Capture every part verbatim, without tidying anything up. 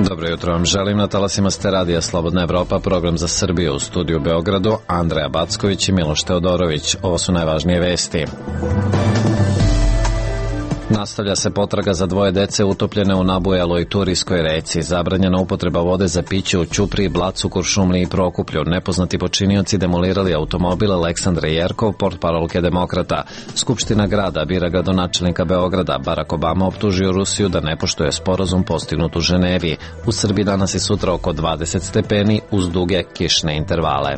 Dobro jutro vam želim, na talasima ste radija Slobodna Evropa, program za Srbiju, u studiju u Beogradu, Andreja Backović i Miloš Teodorović. Ovo su najvažnije vesti. Nastavlja se potraga za dvoje dece utopljene u nabujaloj Turijskoj reci. Zabranjena upotreba vode za piće u Ćupriji, Blacu, Kuršumliji i Prokuplju. Nepoznati počinioci demolirali automobil Aleksandre Jerkov, portparolke Demokrata. Skupština grada bira gradonačelnika Beograda. Barack Obama optužio Rusiju da ne poštuje sporazum postignut u Ženevi. U Srbiji danas i sutra oko dvadeset stepeni uz duge kišne intervale.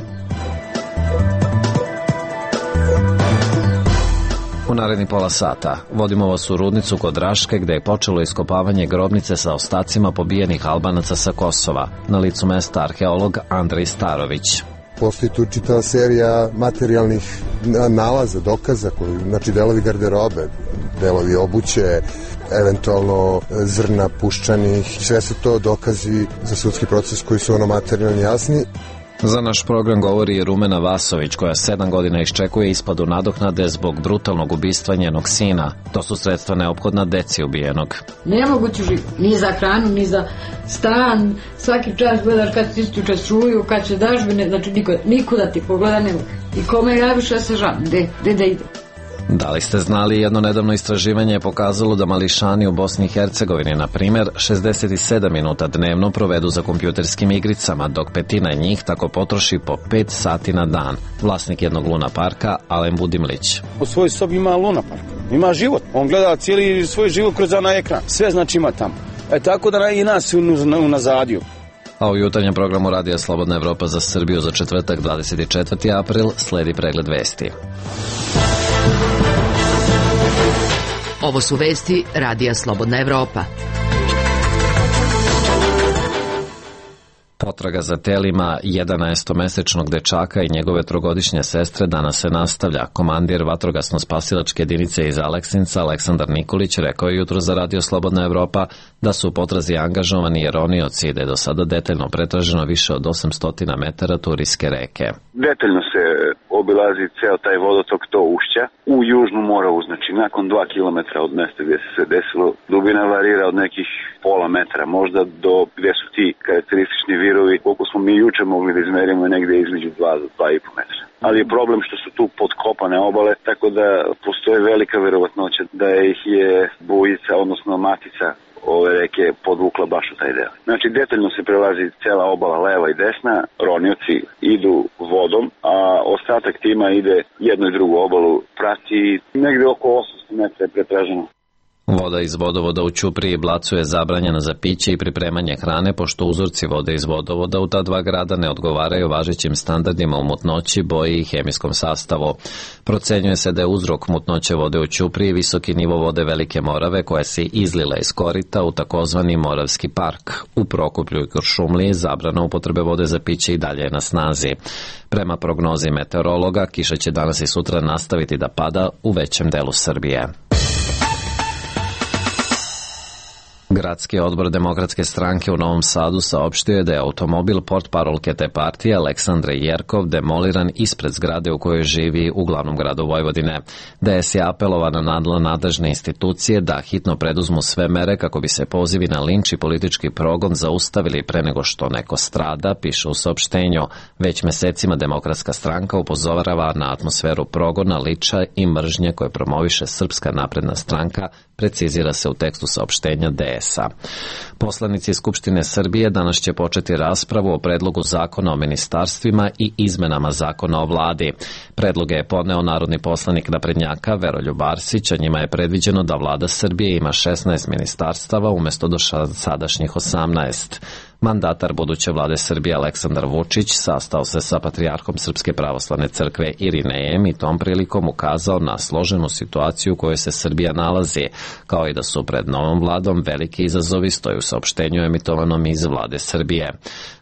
U naredni pola sata vodimo vas u Rudnicu kod Raške, gde je počelo iskopavanje grobnice sa ostacima pobijenih Albanaca sa Kosova. Na licu mesta arheolog Andrej Starović. Postoji tu čitava serija materijalnih nalaza, dokaza, koji, znači delovi garderobe, delovi obuće, eventualno zrna puščanih. Sve su to dokazi za sudski proces koji su ono materijalno jasni. Za naš program govori i Rumena Vasović, koja sedam godina iščekuje isplatu nadoknade zbog brutalnog ubistva njenog sina. To su sredstva neophodna deci ubijenog. Nemoguće živjeti, ni za hranu, ni za stan. Svaki čas gledaš kad ti isključe struju, kad će dažbine, znači niko, nikuda ti pogleda ne mogu. I kome javiš, ja se žalim, gde, gde da idu. Da li ste znali, jedno nedavno istraživanje je pokazalo da mališani u Bosni i Hercegovini, na primjer, šezdeset sedam minuta dnevno provedu za kompjuterskim igricama, dok petina njih tako potroši po pet sati na dan. Vlasnik jednog Luna parka, Alen Budimlić. U svojoj sobi ima Luna park, ima život. On gleda cijeli svoj život kroz onaj ekran. Sve znači ima tamo. E tako da i nas unazadio. A u jutarnjem programu Radija Slobodna Evropa za Srbiju za četvrtak dvadeset četvrti april sledi pregled vesti. Ovo su vesti Radija Slobodna Evropa. Potraga za telima jedanaestomesečnog dečaka i njegove trogodišnje sestre danas se nastavlja. Komandir vatrogasno-spasilačke jedinice iz Aleksinca, Aleksandar Nikolić, rekao je jutro za Radio Slobodna Evropa da su u potrazi angažovani i ronioci i da je do sada detaljno pretraženo više od osamsto metara Turijske reke. Detaljno se obilazi ceo taj vodotok, to ušća u Južnu Moravu, znači nakon dva kilometra od mesta gdje se sve desilo. Dubina varira od nekih pola metra, možda do gdje su ti karakteristični virovi, koliko smo mi juče mogli da izmerimo negdje između dva do dva i po metra. Ali je problem što su tu podkopane obale, tako da postoji velika verovatnoća da ih je bujica, odnosno matica ove reke podvukla baš u taj deo. Znači detaljno se prelazi cela obala leva i desna, ronioci idu vodom, a ostatak tima ide jednu i drugu obalu, prati negdje oko osamsto metra je pretraženo. Voda iz vodovoda u Ćupriji i Blacu je zabranjena za piće i pripremanje hrane, pošto uzorci vode iz vodovoda u ta dva grada ne odgovaraju važećim standardima u mutnoći, boji i hemijskom sastavu. Procenjuje se da je uzrok mutnoće vode u Ćupriji visoki nivo vode Velike Morave, koja se izlila iz korita u takozvani Moravski park. U Prokuplju i Kuršumliji zabrana upotrebe vode za piće i dalje je na snazi. Prema prognozi meteorologa, kiša će danas i sutra nastaviti da pada u većem delu Srbije. Gradski odbor Demokratske stranke u Novom Sadu saopštio je da je automobil portparolke te partije Aleksandre Jerkov demoliran ispred zgrade u kojoj živi u glavnom gradu Vojvodine. D S je apelovana na nadležne institucije da hitno preduzmu sve mere kako bi se pozivi na linč i politički progon zaustavili pre nego što neko strada, piše u saopštenju. Već mesecima Demokratska stranka upozorava na atmosferu progona, liča i mržnje koje promoviše Srpska napredna stranka, precizira se u tekstu saopštenja D S-a. Poslanici Skupštine Srbije danas će početi raspravu o predlogu zakona o ministarstvima i izmenama zakona o vladi. Predloge je podneo narodni poslanik naprednjaka Veroljub Arsić, a njima je predviđeno da vlada Srbije ima šesnaest ministarstava umesto do sadašnjih osamnaest. Mandatar buduće vlade Srbije Aleksandar Vučić sastao se sa patrijarhom Srpske pravoslavne crkve Irinejem i tom prilikom ukazao na složenu situaciju u kojoj se Srbija nalazi, kao i da su pred novom vladom veliki izazovi, stoji u saopštenju emitovanom iz vlade Srbije.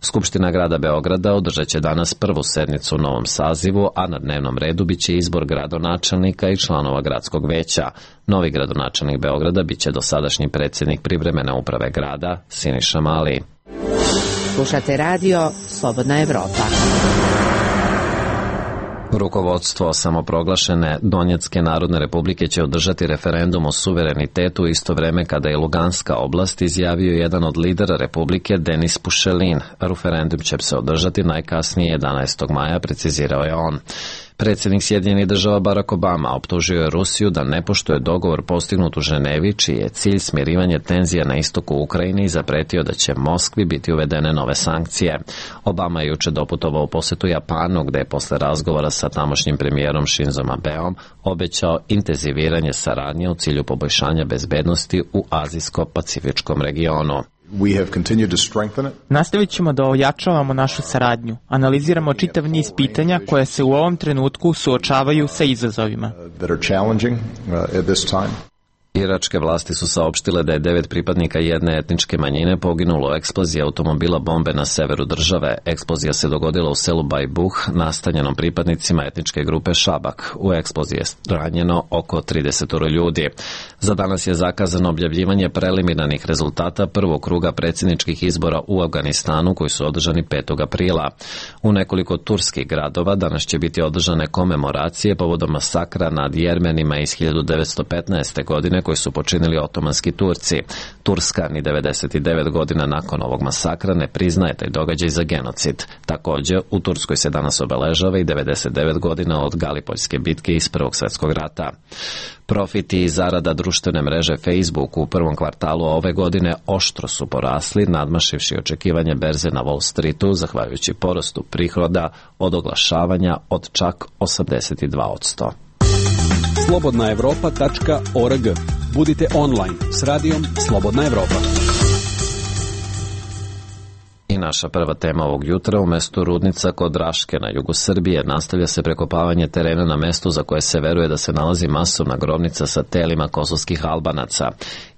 Skupština grada Beograda održat će danas prvu sednicu u novom sazivu, a na dnevnom redu biće izbor gradonačelnika i članova gradskog veća. Novi gradonačelnik Beograda biće dosadašnji predsjednik privremene uprave grada Siniša Mali. Slušate radio Slobodna Evropa. Rukovodstvo samoproglašene Donjecke narodne republike će održati referendum o suverenitetu isto vreme kada je Luganska oblast, izjavio jedan od lidera republike Denis Pušelin. Referendum će se održati najkasnije jedanaestog maja, precizirao je on. Predsjednik Sjedinjenih država Barack Obama optužio je Rusiju da ne poštuje dogovor postignut u Ženevi, čiji je cilj smirivanje tenzija na istoku Ukrajine i zapretio da će Moskvi biti uvedene nove sankcije. Obama je juče doputovao u posetu Japanu, gde je posle razgovora sa tamošnjim premijerom Shinzom Abeom obećao intenziviranje saradnje u cilju poboljšanja bezbednosti u azijsko-pacifičkom regionu. Nastavit ćemo da ojačavamo našu saradnju. Analiziramo čitav niz pitanja koje se u ovom trenutku suočavaju sa izazovima. Iračke vlasti su saopštile da je devet pripadnika jedne etničke manjine poginulo u eksploziji automobila bombe na severu države. Eksplozija se dogodila u selu Bajbuh, nastanjenom pripadnicima etničke grupe Šabak. U eksploziji je ranjeno oko trideset ljudi. Za danas je zakazano objavljivanje preliminarnih rezultata prvog kruga predsjedničkih izbora u Afganistanu koji su održani petog aprila. U nekoliko turskih gradova danas će biti održane komemoracije povodom masakra nad Jermenima iz hiljadu devetsto petnaeste. godine koji su počinili otomanski Turci. Turska ni devedeset devet godina nakon ovog masakra ne priznaje taj događaj za genocid. Također, u Turskoj se danas obeležava i devedeset devet godina od Galipoljske bitke iz Prvog svjetskog rata. Profiti i zarada društvene mreže Facebook u prvom kvartalu ove godine oštro su porasli, nadmašivši očekivanje berze na Wall Streetu, zahvaljujući porastu prihoda od oglašavanja od čak osamdeset dva posto. slobodna evropa tačka org. Budite online s radijom Slobodna Evropa. I naša prva tema ovog jutra, u mestu Rudnica kod Raške na jugu Srbije nastavlja se prekopavanje terena na mestu za koje se veruje da se nalazi masovna grobnica sa telima kosovskih Albanaca.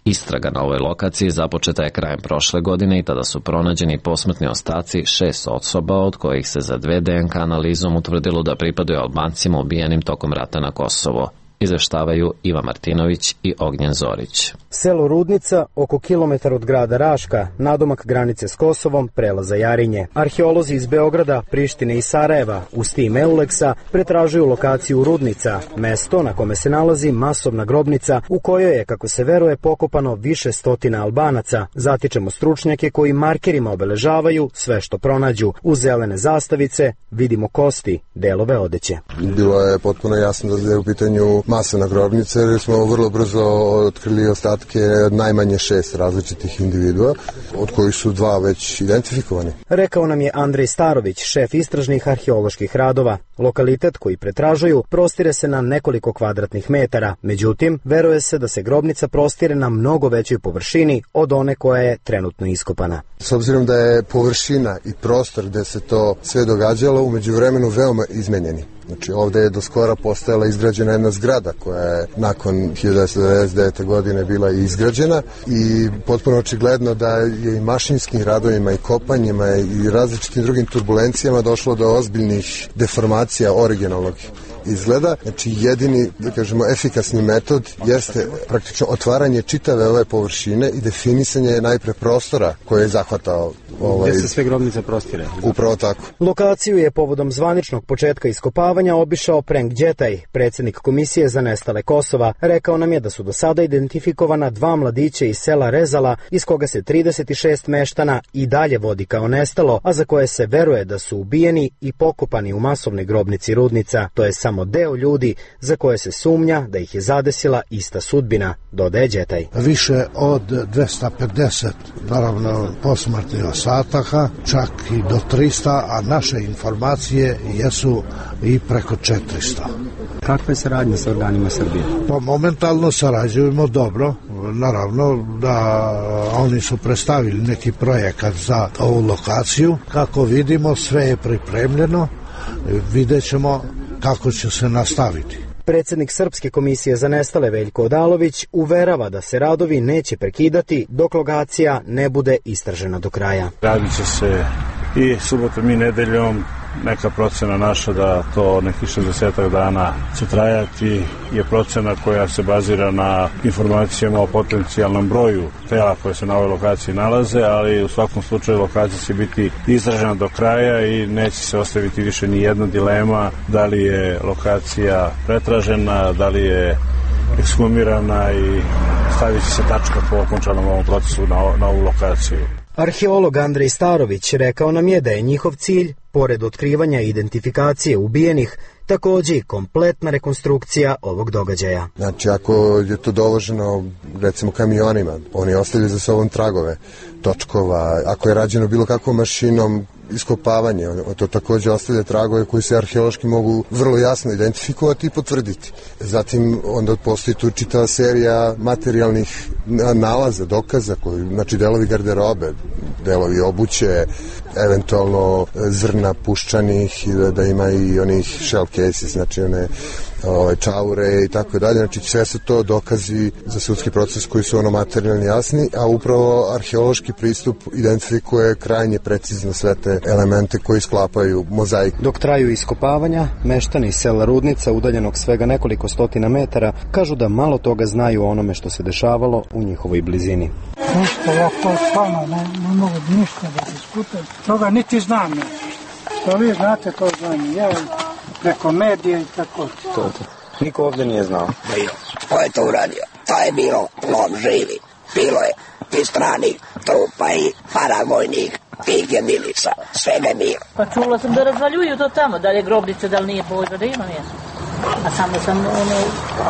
Istraga na ovoj lokaciji započeta je krajem prošle godine i tada su pronađeni posmrtni ostaci šest osoba, od kojih se za dve D N K analizom utvrdilo da pripadaju Albancima ubijenim tokom rata na Kosovo. Izveštavaju Iva Martinović i Ognjen Zorić. Selo Rudnica, oko kilometar od grada Raška, nadomak granice s Kosovom, prelaza Jarinje. Arheolozi iz Beograda, Prištine i Sarajeva, uz tim Euleksa, pretražuju lokaciju Rudnica, mesto na kome se nalazi masovna grobnica u kojoj je, kako se veruje, pokopano više stotina Albanaca. Zatičemo stručnjake koji markerima obeležavaju sve što pronađu. Uz zelene zastavice vidimo kosti, delove odeće. Bilo je potpuno jasno da je u pitanju masovna grobnica, jer smo vrlo brzo otkrili ostatke najmanje šest različitih individua, od kojih su dva već identifikovani. Rekao nam je Andrej Starović, šef istražnih arheoloških radova. Lokalitet koji pretražuju prostire se na nekoliko kvadratnih metara, međutim, veruje se da se grobnica prostire na mnogo većoj površini od one koja je trenutno iskopana. S obzirom da je površina i prostor gde se to sve događalo u međuvremenu veoma izmenjeni. Znači, ovde je do skora postajala izgrađena jedna zgrada koja je nakon hiljadu devetsto devedeset devete. godine bila izgrađena i potpuno očigledno da je i mašinskim radovima i kopanjima i različitim drugim turbulencijama došlo do ozbiljnih deformacija originalnog izgleda. Znači, jedini, da kažemo, efikasni metod jeste praktično otvaranje čitave ove površine i definisanje najpre prostora koje je zahvatao. Ovaj, gde se sve grobnice prostire? Upravo tako. Lokaciju je povodom zvaničnog početka iskopavanja obišao Prenk Đetaj, predsjednik Komisije za nestale Kosova. Rekao nam je da su do sada identifikovana dva mladića iz sela Rezala, iz koga se trideset šest meštana i dalje vodi kao nestalo, a za koje se veruje da su ubijeni i pokopani u masovnoj grobnici Rudnica. To je samo deo ljudi za koje se sumnja da ih je zadesila ista sudbina, dodaje Đetaj. Više od dvesta pedeset, naravno, posmrtnih ostataka, čak i do trista, a naše informacije jesu i preko četiristo. Kakva je saradnja sa organima Srbije? Pa momentalno sarađujemo dobro. Naravno da oni su predstavili neki projekat za ovu lokaciju. Kako vidimo, sve je pripremljeno. Vidjet ćemo kako će se nastaviti. Predsjednik Srpske komisije za nestale Veljko Odalović uverava da se radovi neće prekidati dok lokacija ne bude istražena do kraja. Radit će se i subotom i nedeljom neka procena naša da to nekih šezdesetak dana će trajati je procena koja se bazira na informacijama o potencijalnom broju tela koje se na ovoj lokaciji nalaze, ali u svakom slučaju lokacija će biti izražena do kraja i neće se ostaviti više ni jedna dilema da li je lokacija pretražena, da li je ekshumirana i stavit će se tačka po okončanom ovom procesu na, na ovu lokaciju. Arheolog Andrej Starović rekao nam je da je njihov cilj, pored otkrivanja i identifikacije ubijenih, takođe i kompletna rekonstrukcija ovog događaja. Znači, ako je to dovoženo, recimo, kamionima, oni ostavljaju za sobom tragove točkova, ako je rađeno bilo kakvom mašinom, iskopavanje, to takođe ostavlja tragove koji se arheološki mogu vrlo jasno identifikovati i potvrditi. Zatim onda postoji tu čitava serija materijalnih nalaza, dokaza, koji, znači delovi garderobe, delovi obuće, eventualno zrna puščanih i da, da ima i onih shell cases, znači one ove čaure i tako dalje. Znači sve su to dokazi za sudski proces koji su ono materijalni jasni, a upravo arheološki pristup identifikuje krajnje precizno sve te elemente koji sklapaju mozaik. Dok traju iskopavanja, meštani iz sela Rudnica, udaljenog svega nekoliko stotina metara, kažu da malo toga znaju o onome što se dešavalo u njihovoj blizini. Ništa, ja to stvarno ne, ne mogu ništa da diskutujem. Toga niti znam nešto. To vi znate, to znam ja, preko medija i tako. To, to. Niko ovde nije znao. Bio. Ko je to uradio? To je bilo lom živi. Bilo je i stranih trupa i paravojnih tih jedinica. Svega je bilo. Pa čula sam da razvaljuju to tamo, da li je grobnica, da li nije pojma, da ima mjesto. A samo sam ono,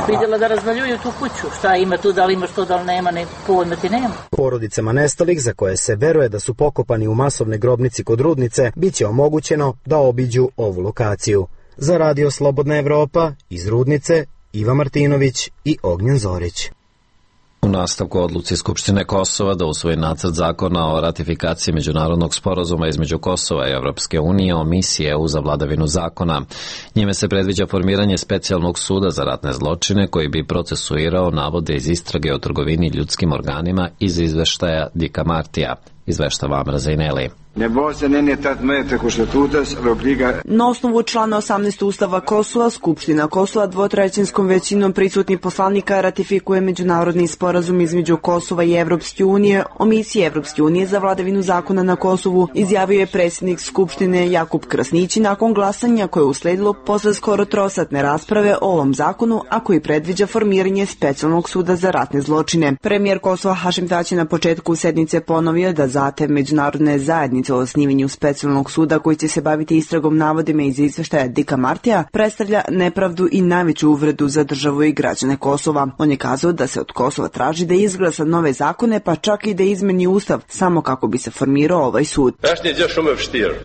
vidjela da razvaljuju tu kuću. Šta ima tu, da li ima što, da li nema, ne pojma ti nema. Porodicama nestalih, za koje se veruje da su pokopani u masovnoj grobnici kod Rudnice, bit će omogućeno da obiđu ovu lokaciju. Za Radio Slobodna Evropa, iz Rudnice, Iva Martinović i Ognjen Zorić. U nastavku odluci Skupštine Kosova da usvoji nacrt zakona o ratifikaciji međunarodnog sporazuma između Kosova i Evropske unije o misiji E U za vladavinu zakona. Njime se predviđa formiranje specijalnog suda za ratne zločine koji bi procesuirao navode iz istrage o trgovini ljudskim organima iz izveštaja Dika Martija. Izveštava Amra Zaineli. Na osnovu člana osamnaest Ustava Kosova, Skupština Kosova dvotrećinskom većinom prisutnih poslanika ratifikuje međunarodni sporazum između Kosova i Evropske unije o misiji Evropske unije za vladavinu zakona na Kosovu, izjavio je predsjednik Skupštine Jakub Krasnići nakon glasanja koje je usledilo posle skoro trosatne rasprave o ovom zakonu, a koji predviđa formiranje specijalnog suda za ratne zločine. Premijer Kosova Hašim Tači na početku sednice ponovio da zahtev međunarodne zajednice o osnivanju specijalnog suda koji će se baviti istragom navodima iz izveštaja Dika Martija predstavlja nepravdu i najveću uvredu za državu i građane Kosova. On je kazao da se od Kosova traži da izglasa nove zakone, pa čak i da izmeni ustav samo kako bi se formirao ovaj sud.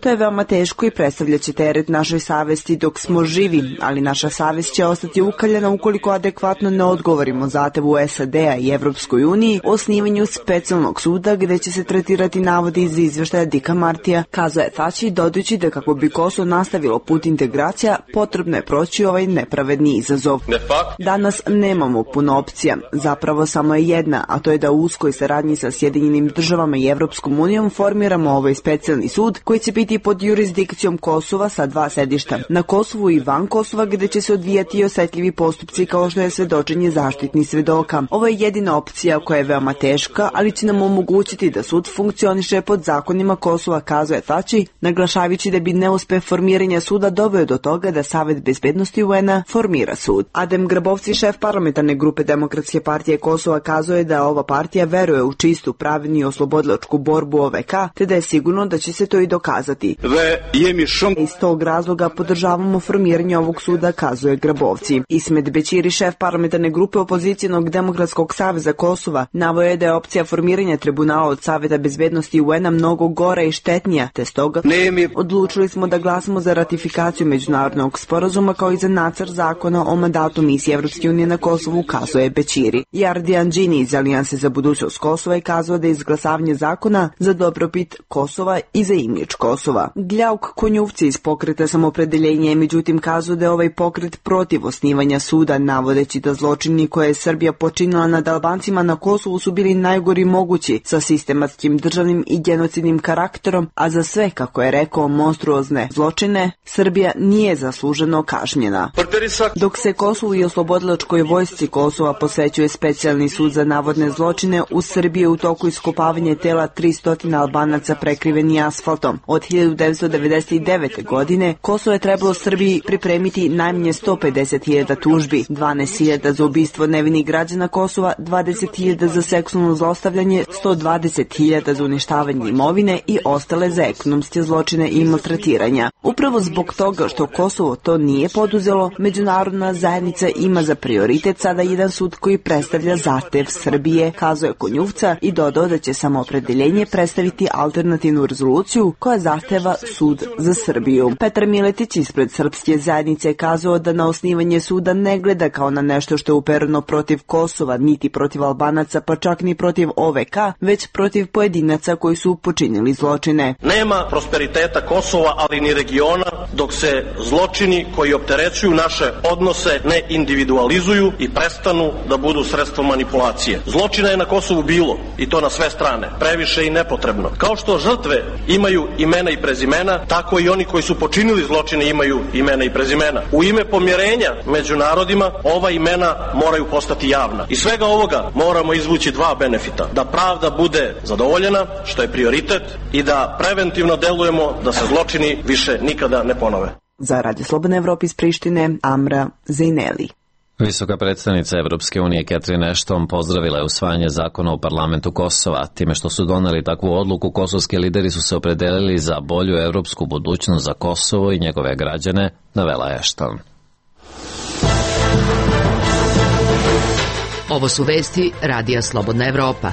To je veoma teško i predstavljaće teret našoj savesti dok smo živi, ali naša savest će ostati ukaljena ukoliko adekvatno ne odgovorimo zahtevu S A D-a i Evropskoj uniji o osnivanju specijalnog suda gde će se tretirati navodi iz izveštaja Dika Martija, kazao je Tači, dodajući da kako bi Kosovo nastavilo put integracija, potrebno je proći ovaj nepravedni izazov. Danas nemamo puno opcija, zapravo samo je jedna, a to je da u uskoj saradnji sa Sjedinjenim državama i Evropskom unijom formiramo ovaj specijalni sud koji će biti pod jurisdikcijom Kosova sa dva sedišta, na Kosovu i van Kosova gde će se odvijati osetljivi postupci kao što je svedočenje zaštitnih svedoka. Ovo je jedina opcija koja je veoma teška, ali će nam omogućiti da sud funkcioniše pod zakonima Kosova, kazao je Tači, naglašavajući da bi neuspeh formiranja suda doveo do toga da Savet bezbednosti U N-a formira sud. Adem Grabovci, šef parlamentarne grupe Demokratske partije Kosova, kazao je da ova partija veruje u čistu, pravednu i oslobodilačku borbu O V K, te da je sigurno da će se to i dokazati. Iz tog razloga podržavamo formiranje ovog suda, kazuje Grabovci. Ismet Bećiri, šef parlamentarne grupe Opozicijonog Demokratskog saveza Kosova, naveo je da je opcija formiranja tribunala od Saveta bezbednosti U N-a mnogo gora i štetnija, te stoga odlučili smo da glasamo za ratifikaciju međunarodnog sporazuma kao i za nacrt zakona o mandatu misije Evropske unije na Kosovu, kazuje Bećiri. Jardi Anđini iz Alijanse za budućnost Kosova je kazao da je izglasavanje zakona za dobrobit Kosova i za imidž Kosova. Gljauk Konjuvci iz pokreta Samopredeljenje je međutim kazao da je ovaj pokret protiv osnivanja suda, navodeći da zločini koje je Srbija počinila nad Albancima na Kosovu su bili najgori mogući sa sistematskim državnim i genocidnim karakterom faktorom, a za sve, kako je rekao, monstruozne zločine, Srbija nije zasluženo kažnjena. Dok se Kosovu i oslobodilačkoj vojsci Kosova posvećuje specijalni sud za navodne zločine, u Srbiji je u toku iskopavanje tela tristo Albanaca prekriveni asfaltom. Od hiljadu devetsto devedeset devete. godine Kosovo je trebalo Srbiji pripremiti najmanje sto pedeset hiljada tužbi, dvanaest hiljada za ubistvo nevinih građana Kosova, dvadeset hiljada za seksualno zlostavljanje, sto dvadeset hiljada za uništavanje imovine i ostale za ekonomske zločine i maltretiranja. Upravo zbog toga što Kosovo to nije poduzelo, međunarodna zajednica ima za prioritet sada jedan sud koji predstavlja zahtev Srbije, kazao je Konjuvca i dodao da će samoopredeljenje predstaviti alternativnu rezoluciju koja zahteva sud za Srbiju. Petar Miletić ispred Srpske zajednice je kazao da na osnivanje suda ne gleda kao na nešto što je upereno protiv Kosova, niti protiv Albanaca, pa čak ni protiv O V K, već protiv pojedinaca koji su počinili zločine. Nema prosperiteta Kosova, ali ni regiona, dok se zločini koji opterećuju naše odnose ne individualizuju i prestanu da budu sredstvo manipulacije. Zločina je na Kosovu bilo, i to na sve strane, previše i nepotrebno. Kao što žrtve imaju imena i prezimena, tako i oni koji su počinili zločine imaju imena i prezimena. U ime pomirenja među narodima ova imena moraju postati javna. Iz svega ovoga moramo izvući dva benefita. Da pravda bude zadovoljena, što je prioritet, i da preventivno delujemo da se zločini više nikada ne ponove. Za Radio Slobodne Evrope iz Prištine, Amra Zejneli. Visoka predstavnica Evropske unije Catherine Ashton pozdravila je usvajanje zakona u parlamentu Kosova. Time što su doneli takvu odluku, kosovski lideri su se opredelili za bolju evropsku budućnost za Kosovo i njegove građane, navela je Ashton. Ovo su vesti Radija Slobodna Evropa.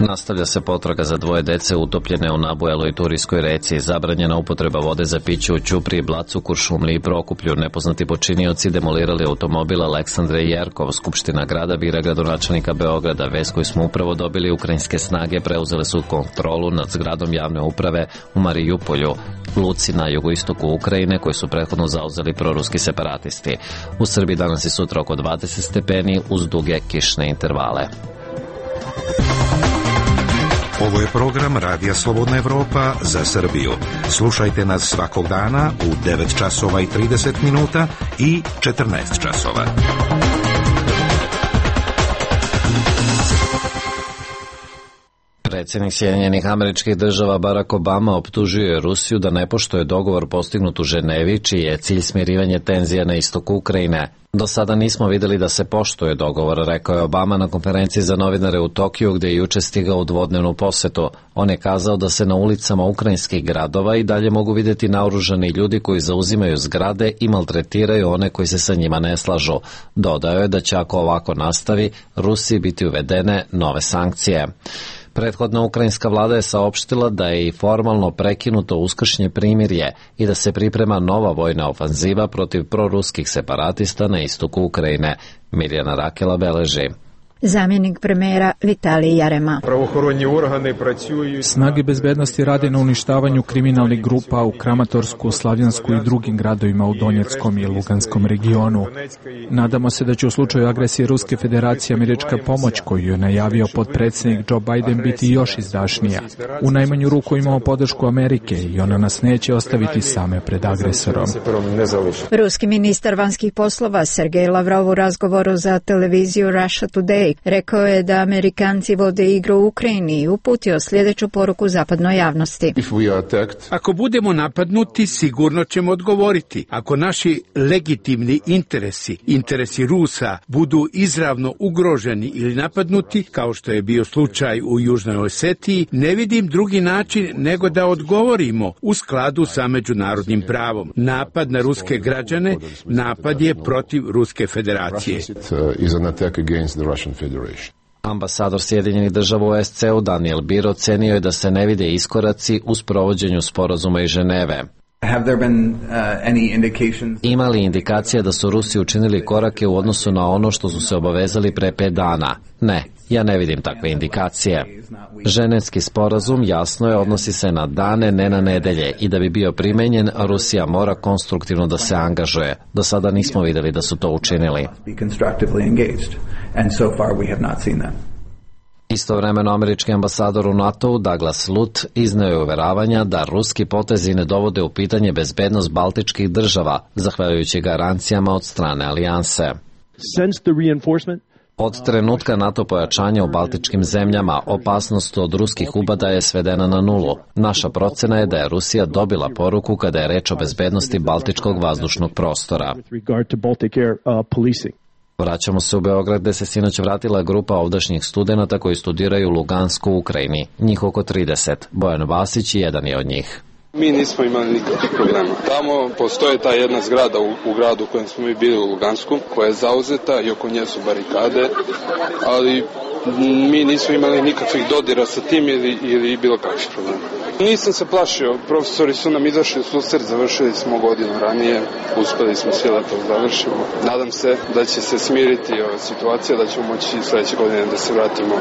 Nastavlja se potraga za dvoje dece utopljene u Nabueloj Turijskoj reci. Zabranjena upotreba vode za piće u Ćupriji, Blacu, Kuršumliji i Prokuplju. Nepoznati počinioci demolirali automobil Aleksandre Jerkov. Skupština grada bira gradonačelnika Beograda. Vest koju smo upravo dobili, ukrajinske snage preuzele su kontrolu nad zgradom javne uprave u Marijupolju, luci na jugoistoku Ukrajine, koju su prethodno zauzeli proruski separatisti. U Srbiji danas i sutra oko dvadeset stepeni uz duge kišne intervale. Ovo je program Radija Slobodna Evropa za Srbiju. Slušajte nas svakog dana u devet časova i trideset minuta i četrnaest časova. Predsjednik Sjedinjenih Američkih Država Barack Obama optužio je Rusiju da ne poštuje dogovor postignut u Ženevi, čiji je cilj smirivanje tenzija na istoku Ukrajine. Do sada nismo videli da se poštuje dogovor, rekao je Obama na konferenciji za novinare u Tokiju, gde je juče stigao u dvodnevnu posetu. On je kazao da se na ulicama ukrajinskih gradova i dalje mogu vidjeti naoružani ljudi koji zauzimaju zgrade i maltretiraju one koji se sa njima ne slažu. Dodao je da će, ako ovako nastavi, Rusiji biti uvedene nove sankcije. Prethodna ukrajinska vlada je saopštila da je i formalno prekinuto uskršnje primirje i da se priprema nova vojna ofanziva protiv proruskih separatista na istoku Ukrajine. Mirjana Rakela beleži. Zamjenik premijera Vitalij Jarema. Snage bezbednosti rade na uništavanju kriminalnih grupa u Kramatorsku, Slavjansku i drugim gradovima u Donjeckom i Luganskom regionu. Nadamo se da će u slučaju agresije Ruske federacije američka pomoć koju je najavio potpredsjednik Joe Biden biti još izdašnija. U najmanju ruku imamo podršku Amerike i ona nas neće ostaviti same pred agresorom. Ruski ministar vanjskih poslova Sergej Lavrov u razgovoru za televiziju Russia Today rekao je da Amerikanci vode igru u Ukrajini i uputio sljedeću poruku zapadnoj javnosti. Ako budemo napadnuti, sigurno ćemo odgovoriti. Ako naši legitimni interesi, interesi Rusa, budu izravno ugroženi ili napadnuti, kao što je bio slučaj u Južnoj Osetiji, ne vidim drugi način nego da odgovorimo u skladu sa međunarodnim pravom. Napad na ruske građane, napad je protiv Ruske federacije. Ambasador Sjedinjenih Država u S C U Daniel Beer ocenio je da se ne vide iskoraci u sprovođenju sporazuma iz Ženeve. Ima li indikacija da su Rusi učinili korake u odnosu na ono što su se obavezali pre pet dana? Ne, ja ne vidim takve indikacije. Ženevski sporazum, jasno je, odnosi se na dane, ne na nedelje, i da bi bio primenjen, Rusija mora konstruktivno da se angažuje. Do sada nismo videli da su to učinili. Istovremeno američki ambasador u NATO-u Douglas Lutt izneo je uveravanja da ruski potezi ne dovode u pitanje bezbednost baltičkih država, zahvaljujući garancijama od strane alijanse. Od trenutka NATO pojačanja u baltičkim zemljama, opasnost od ruskih upada je svedena na nulu. Naša procena je da je Rusija dobila poruku kada je reč o bezbednosti baltičkog vazdušnog prostora. Vraćamo se u Beograd, gde se sinoć vratila grupa ovdašnjih studenata koji studiraju u Lugansku u Ukrajini. Njih oko trideset. Bojan Vasić jedan je od njih. Mi nismo imali nikakvih problema. Tamo postoje ta jedna zgrada u, u gradu u kojem smo mi bili u Lugansku, koja je zauzeta i oko nje su barikade, ali mi nismo imali nikakvih dodira sa tim ili, ili bilo kakvih problema. Nisam se plašio, profesori su nam izašli u susret, završili smo godinu ranije, uspeli smo sve da to završimo. Nadam se da će se smiriti ova situacija, da ćemo moći sledeće godine da se vratimo.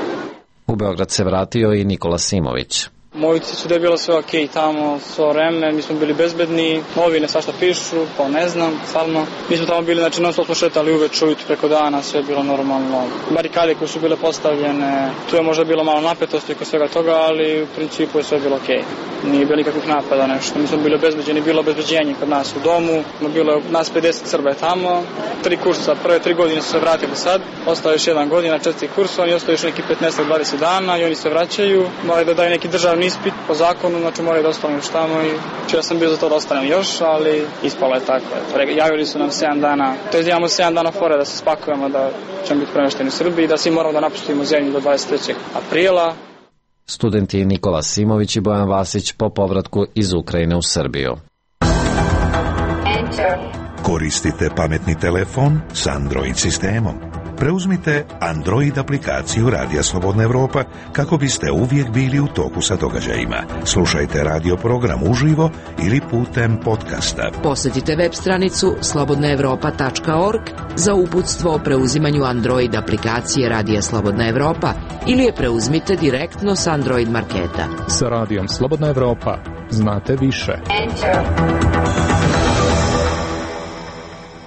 U Beograd se vratio i Nikola Simović. Moji su da je bilo sve okej tamo, svo vreme, mi smo bili bezbedni, novine svašta pišu, pa ne znam, stvarno. Mi smo tamo bili, znači non stop smo šetali uveč, ujutru preko dana, sve je bilo normalno. Barikade koje su bile postavljene, tu je možda bilo malo napetosti kod svega toga, ali u principu je sve bilo okej. Nije bilo nikakvih napada, nešto. Mi smo bili obezbeđeni, bilo obezbeđenje kod nas u domu, bilo je nas pedeset Srba je tamo, tri kursa, prve tri godine su se vratili sad, ostao još jedan godina, četiri kursa, oni ostaju još neki petnaest do dvadeset dana i oni se vraćaju, moraju da daju neki državni ispit po zakonu, znači moraju da ostanu još tamo i ja sam bio za to da ostanem još, ali ispalo je tako. Javili su nam sedam dana, to je imamo sedam dana fore da se spakujemo, da ćemo biti premešteni u Srbiji, da svi moramo da napustimo zemlju do dvadeset trećeg aprila. Studenti Nikola Simović i Bojan Vasić po povratku iz Ukrajine u Srbiju. Koristite pametni telefon s Android sistemom. Preuzmite Android aplikaciju Radija Slobodna Evropa kako biste uvijek bili u toku sa događajima. Slušajte radio program uživo ili putem podcasta. Posjetite web stranicu slobodna evropa tačka org za uputstvo o preuzimanju Android aplikacije Radija Slobodna Evropa ili je preuzmite direktno s Android marketa. Sa Radijom Slobodna Evropa znate više.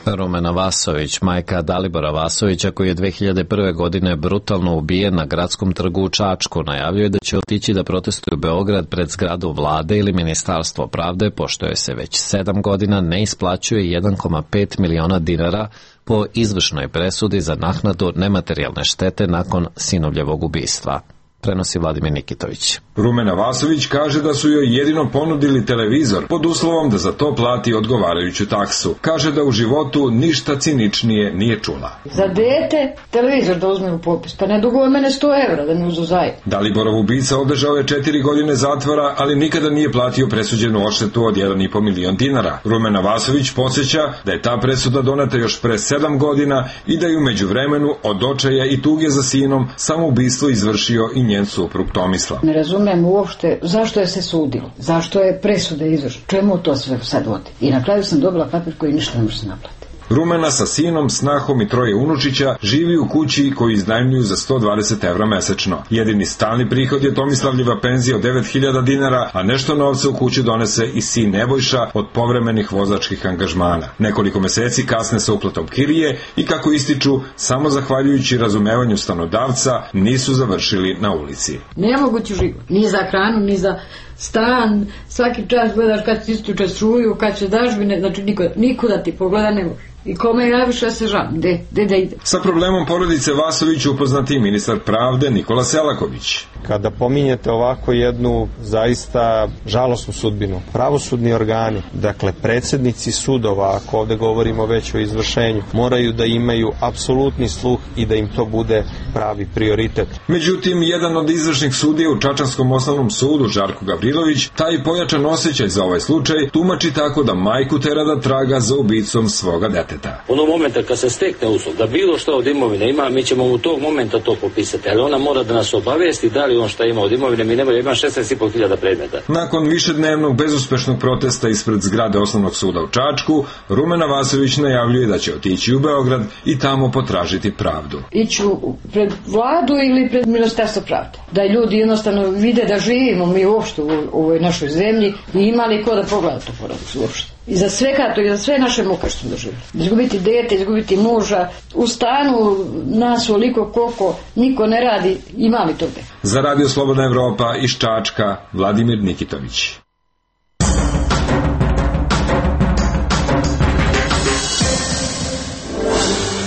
Rumena Vasović, majka Dalibora Vasovića, koji je dve hiljade prve. godine brutalno ubijen na gradskom trgu u Čačku, najavljuje da će otići da protestuju Beograd pred zgradu vlade ili Ministarstvo pravde, pošto joj se već sedam godina ne isplaćuje jedan zarez pet miliona dinara po izvršnoj presudi za naknadu nematerijalne štete nakon sinovljevog ubistva. Prenosi Vladimir Nikitović. Rumena Vasović kaže da su joj jedino ponudili televizor pod uslovom da za to plati odgovarajuću taksu. Kaže da u životu ništa ciničnije nije čula. Za dete televizor da uzme u popis, pa ne duguje mene sto evra da mi uzu zajedno. Daliborov ubica održao je četiri godine zatvora, ali nikada nije platio presuđenu odštetu od jedan zarez pet milion dinara. Rumena Vasović podsjeća da je ta presuda doneta još pre sedam godina i da je u međuvremenu od očaja i tuge za sinom samoubistvo izvršio i njen suprug Tomislav. Ne razumem uopšte zašto je se sudilo, zašto je presuda izvršena, čemu to sve sad vodi. I na kraju sam dobila papir koji ništa ne može se naplatiti. Rumena sa sinom, snahom i troje unučića živi u kući koju iznajmljuju za sto dvadeset evra mesečno. Jedini stalni prihod je Tomislavljeva penzija od devet hiljada dinara, a nešto novca u kuću donese i sin Nebojša od povremenih vozačkih angažmana. Nekoliko meseci kasne sa uplatom kirije i kako ističu, samo zahvaljujući razumevanju stanodavca nisu završili na ulici. Nemogući život, ni za hranu, ni za stan, svaki čas gledaš kad ti istuče struju, kad će dažbine, znači niko, nikuda ti pogleda ne može. I kome javiš, ja se žam, gde, gde da ide. Sa problemom porodice Vasović upoznati ministar pravde Nikola Selaković. Kada pominjete ovako jednu zaista žalosnu sudbinu, pravosudni organi, dakle predsjednici sudova, ako ovde govorimo već o izvršenju, moraju da imaju apsolutni sluh i da im to bude pravi prioritet. Međutim, jedan od izvršnih sudija u Čačanskom osnovnom sudu, Žarko Gavrilović, taj pojačan osjećaj za ovaj slučaj tumači tako da majku tera da traga za ubicom svoga deteta. Onog momenta kad se stekne uslov da bilo što od imovine ima, mi ćemo u tog momenta to popisati, ali ona mora da nas obavijesti da li on šta ima od imovine, mi nemoj, ima šesnaest i po hiljada predmeta. Nakon višednevnog bezuspešnog protesta ispred zgrade osnovnog suda u Čačku, Rumena Vasović najavljuje da će otići u Beograd i tamo potražiti pravdu. Iću pred vladu ili pred Ministarstvo pravde, da ljudi jednostavno vide da živimo mi uopšte u ovoj našoj zemlji i imali ko da pogleda to porodicu uopšte. I za sve kato, i za sve naše muke što smo doživjeli. Izgubiti dete, izgubiti muža, u stanu nas oliko koliko niko ne radi, ima li toga? Za Radio Slobodna Evropa iz Čačka, Vladimir Nikitović.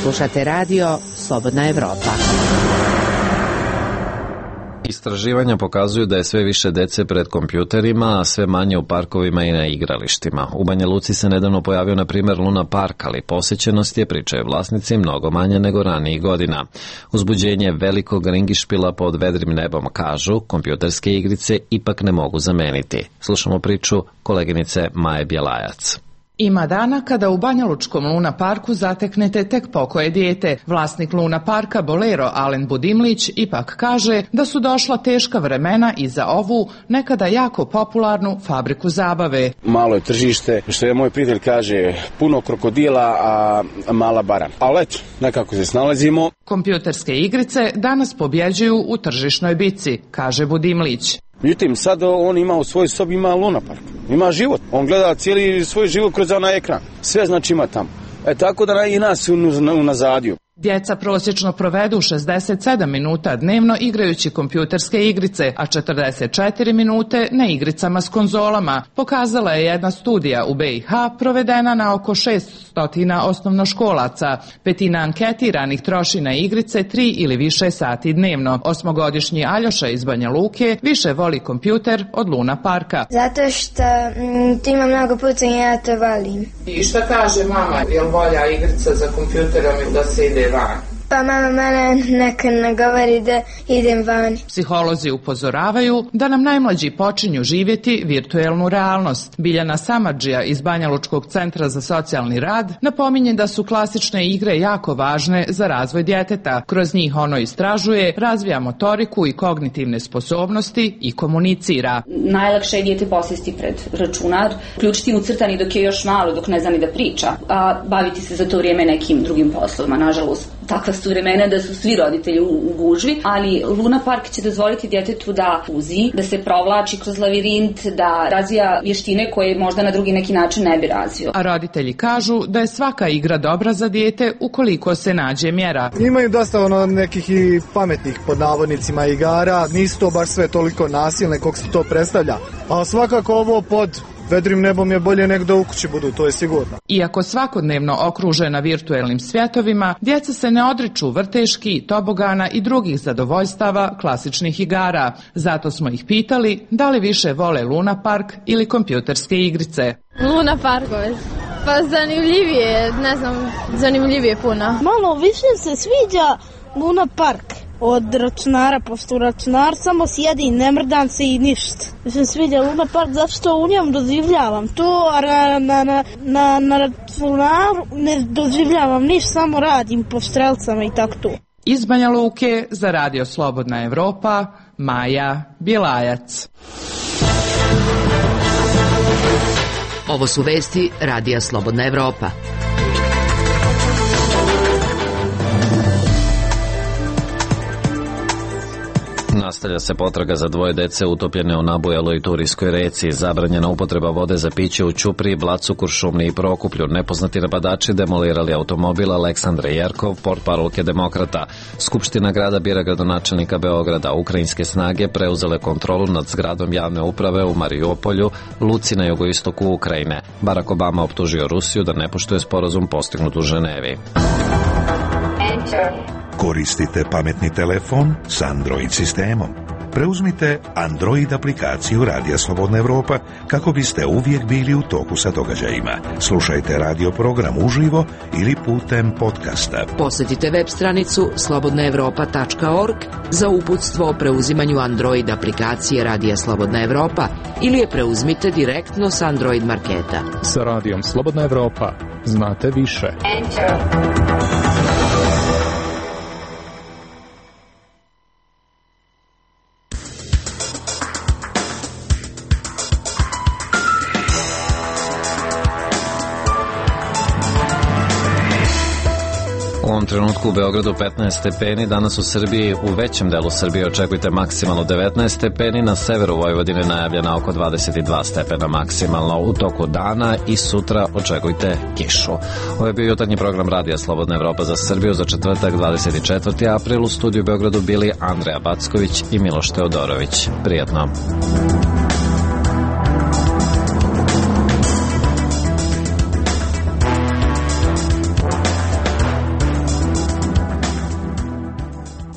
Slušate radio Slobodna Evropa. Istraživanja pokazuju da je sve više dece pred kompjuterima, a sve manje u parkovima i na igralištima. U Banja Luci se nedavno pojavio, na primjer, Luna Park, ali posjećenost je, pričaju vlasnici, mnogo manje nego ranijih godina. Uzbuđenje velikog ringišpila pod vedrim nebom, kažu, kompjuterske igrice ipak ne mogu zameniti. Slušamo priču koleginice Maje Bjelajac. Ima dana kada u Banjalučkom Luna Parku zateknete tek pokoje dijete. Vlasnik Luna Parka, bolero Alen Budimlić, ipak kaže da su došla teška vremena i za ovu nekada jako popularnu fabriku zabave. Malo je tržište, što je moj prijatelj kaže, puno krokodila, a mala bara. Ali eto, nekako se snalazimo. Kompjuterske igrice danas pobjeđuju u tržišnoj bici, kaže Budimlić. Međutim, sad on ima u svojoj sobi, ima Luna Park, ima život. On gleda cijeli svoj život kroz onaj ekran. Sve znači ima tamo. E tako da i nas unazadiju. Djeca prosječno provedu šezdeset sedam minuta dnevno igrajući kompjuterske igrice, a četrdeset četiri minute na igricama s konzolama. Pokazala je jedna studija u B i H provedena na oko šessto osnovnoškolaca. Petina anketiranih troši na igrice tri ili više sati dnevno. Osmogodišnji Aljoša iz Banja Luke više voli kompjuter od Luna Parka. Zato što m, tu ima mnogo pucanja, ja to volim. I šta kaže mama, je li volja igrica za kompjuterom ili da se ide van? Pa mama mene neka ne govori da idem van. Psiholozi upozoravaju da nam najmlađi počinju živjeti virtuelnu realnost. Biljana Samardžija iz Banjalučkog centra za socijalni rad napominje da su klasične igre jako važne za razvoj djeteta. Kroz njih ono istražuje, razvija motoriku i kognitivne sposobnosti i komunicira. Najlakše je dijete posjesti pred računar, ključiti ucrtani dok je još malo, dok ne zna ni da priča, a baviti se za to vrijeme nekim drugim poslovima. Nažalost, takva su vremena da su svi roditelji u, u gužvi, ali Luna Park će dozvoliti djetetu da puzi, da se provlači kroz lavirint, da razvija vještine koje možda na drugi neki način ne bi razvio. A roditelji kažu da je svaka igra dobra za dijete ukoliko se nađe mjera. Imaju dosta ono nekih i pametnih pod navodnicima igara, nisu to baš sve toliko nasilne kako se to predstavlja, a svakako ovo pod vedrim nebom je bolje nek da u kući budu, to je sigurno. Iako svakodnevno okružena virtuelnim svjetovima, djeca se ne odriču vrteški, tobogana i drugih zadovoljstava klasičnih igara. Zato smo ih pitali da li više vole Luna Park ili kompjuterske igrice. Luna Parkove. Pa zanimljivije, ne znam, zanimljivije puno. Malo više se sviđa Luna Park od računara, pošto u računar samo sjedi i ne mrdam se i ništa. Mi se sviđa Luna Park zato što u njem doživljavam to, a na, na, na, na, na računaru ne doživljavam ništa, samo radim po strelcama i tako to. Iz Banja Luke za Radio Slobodna Evropa, Maja Bjelajac. Ovo su vesti Radija Slobodna Evropa. Nastavlja se potraga za dvoje dece utopljene u nabujaloj Turijskoj reci. Zabranjena upotreba vode za piće u Ćupriji, Blacu, Kuršumliji i Prokuplju. Nepoznati napadači demolirali automobil Aleksandre Jerkov, portparolke Demokrata. Skupština grada bira gradonačelnika Beograda. Ukrajinske snage preuzele kontrolu nad zgradom javne uprave u Mariupolju, luci na jugoistoku Ukrajine. Barack Obama optužio Rusiju da ne poštuje sporazum postignut u Ženevi. Koristite pametni telefon s Android sistemom. Preuzmite Android aplikaciju Radija Slobodna Evropa kako biste uvijek bili u toku sa događajima. Slušajte radio program uživo ili putem podcasta. Posjetite web stranicu slobodna evropa tačka org za uputstvo o preuzimanju Android aplikacije Radija Slobodna Evropa ili je preuzmite direktno s Android marketa. Sa Radijom Slobodna Evropa znate više. Enter. U ovom trenutku u Beogradu petnaest stepeni, danas u Srbiji u većem delu Srbije očekujte maksimalno devetnaest stepeni, na severu Vojvodine najavljena oko dvadeset dva stepena maksimalno u toku dana i sutra očekujte kišu. Ovo je bio jutarnji program Radija Slobodna Evropa za Srbiju za četvrtak dvadeset četvrti april. U studiju u Beogradu bili Andreja Backović i Miloš Teodorović. Prijatno.